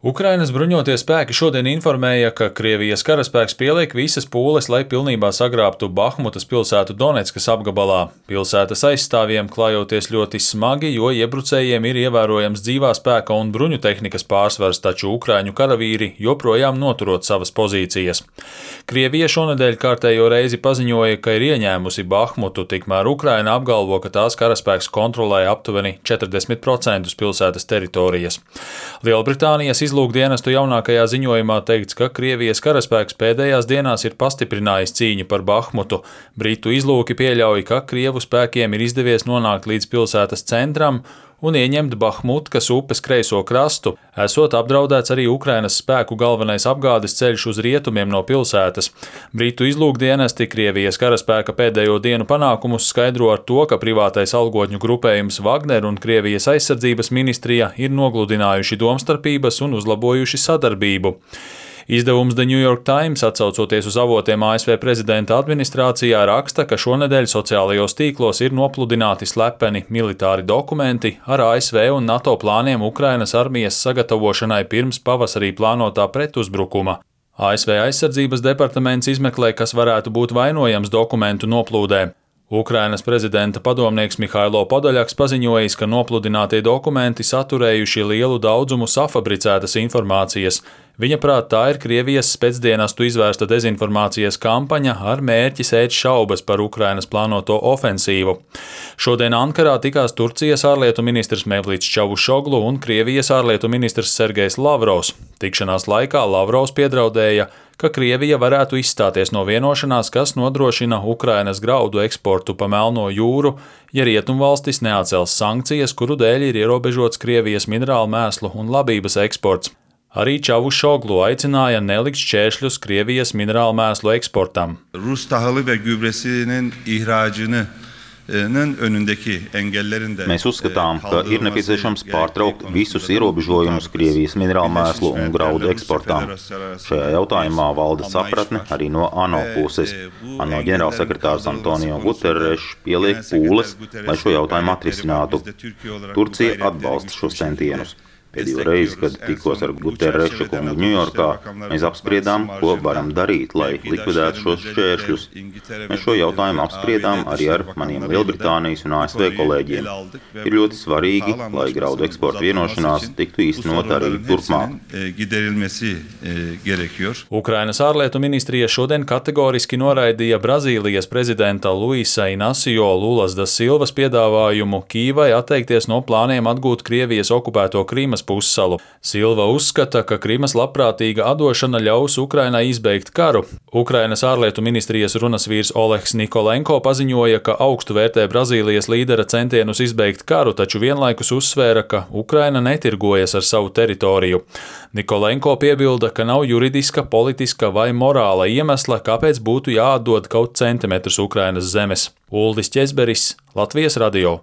Ukrainas bruņotie spēki šodien informēja, ka Krievijas karaspēks pieliek visas pūles, lai pilnībā sagrābtu Bahmutas pilsētu Doneckas apgabalā. Pilsētas aizstāvjiem klājoties ļoti smagi, jo iebrucējiem ir ievērojams dzīvā spēka un bruņu tehnikas pārsvars, taču ukraiņu karavīri joprojām noturot savas pozīcijas. Krievija šonedēļ kārtējo reizi paziņoja, ka ir ieņēmusi Bahmutu, tikmēr Ukraina apgalvo, ka tās karaspēks kontrolē aptuveni 40% pilsētas teritorijas. Lielbritānijas izlūkdienestu jaunākajā ziņojumā teikts, ka Krievijas karaspēks pēdējās dienās ir pastiprinājis cīņu par Bahmutu. Britu izlūki pieļauj, ka Krievu spēkiem ir izdevies nonākt līdz pilsētas centram un ieņemt Bahmutkas upes kreiso krastu, esot apdraudēts arī Ukrainas spēku galvenais apgādes ceļš uz rietumiem no pilsētas. Britu izlūkdienesti Krievijas karaspēka pēdējo dienu panākumus skaidro ar to, ka privātais algotņu grupējums Wagner un Krievijas aizsardzības ministrija ir nogludinājuši domstarpības un uzlabojuši sadarbību. Izdevums The New York Times, atsaucoties uz avotiem ASV prezidenta administrācijā, raksta, ka šonedēļ sociālajos tīklos ir nopludināti slepeni militāri dokumenti ar ASV un NATO plāniem Ukrainas armijas sagatavošanai pirms pavasarī plānotā pretuzbrukuma. ASV aizsardzības departaments izmeklē, kas varētu būt vainojams dokumentu noplūdē. Ukrainas prezidenta padomnieks Mihailo Podoļaks paziņojis, ka nopludinātie dokumenti saturējuši lielu daudzumu safabricētas informācijas. Viņa prāt, tā ir Krievijas spēcdienestu izvērsta dezinformācijas kampaņa ar mērķi sēt šaubas par Ukrainas plānoto ofensīvu. Šodien Ankarā tikās Turcijas ārlietu ministrs Mevlīts Čavušoglu un Krievijas ārlietu ministrs Sergejs Lavrovs. Tikšanās laikā Lavrovs piedraudēja, ka Krievija varētu izstāties no vienošanās, kas nodrošina Ukrainas graudu eksportu pa Melno jūru, ja rietumvalstis neatcels sankcijas, kuru dēļ ir ierobežots Krievijas minerālu mēslu un labības eksports. Arī Čavušoglu aicināja nelikt šķēršļus Krievijas minerālu mēslu eksportam. Rus tahılı ve gübresinin ihracını Mēs uzskatām, ka ir nepieciešams pārtraukt visus ierobežojumus Krievijas minerālu mēslu un graudu eksportām. Šajā jautājumā valda sapratne arī no ANO puses. ANO ģenerālsekretārs Antonio Guterres pieliek pūles, lai šo jautājumu atrisinātu. Turcija atbalsta šos centienus. Pēdējo reizi, kad tikos ar Guterreša kungu Ņujorkā, mēs apspriedām, ko varam darīt, lai likvidētu šos šķēršļus. Mēs šo jautājumu apspriedām arī ar maniem Lielbritānijas un ASV kolēģiem. Ir ļoti svarīgi, lai graudu eksporta vienošanās tiktu īstenot arī turpmāk. Ukrainas ārlietu ministrija šodien kategoriski noraidīja Brazīlijas prezidenta Luisa Inacio Lulas da Silvas piedāvājumu Kīvai atteikties no plāniem atgūt Krievijas okupēto Krimas pussalu. Silva uzskata, ka Krimas labprātīga atdošana ļaus Ukrainai izbeigt karu. Ukrainas ārlietu ministrijas runas vīrs Olegs Nikolenko paziņoja, ka augstu vērtē Brazīlijas līdera centienus izbeigt karu, taču vienlaikus uzsvēra, ka Ukraina netirgojas ar savu teritoriju. Nikolenko piebilda, ka nav juridiska, politiska vai morāla iemesla, kāpēc būtu jāatdod kaut centimetrus Ukrainas zemes. Uldis Ķezberis, Latvijas radio.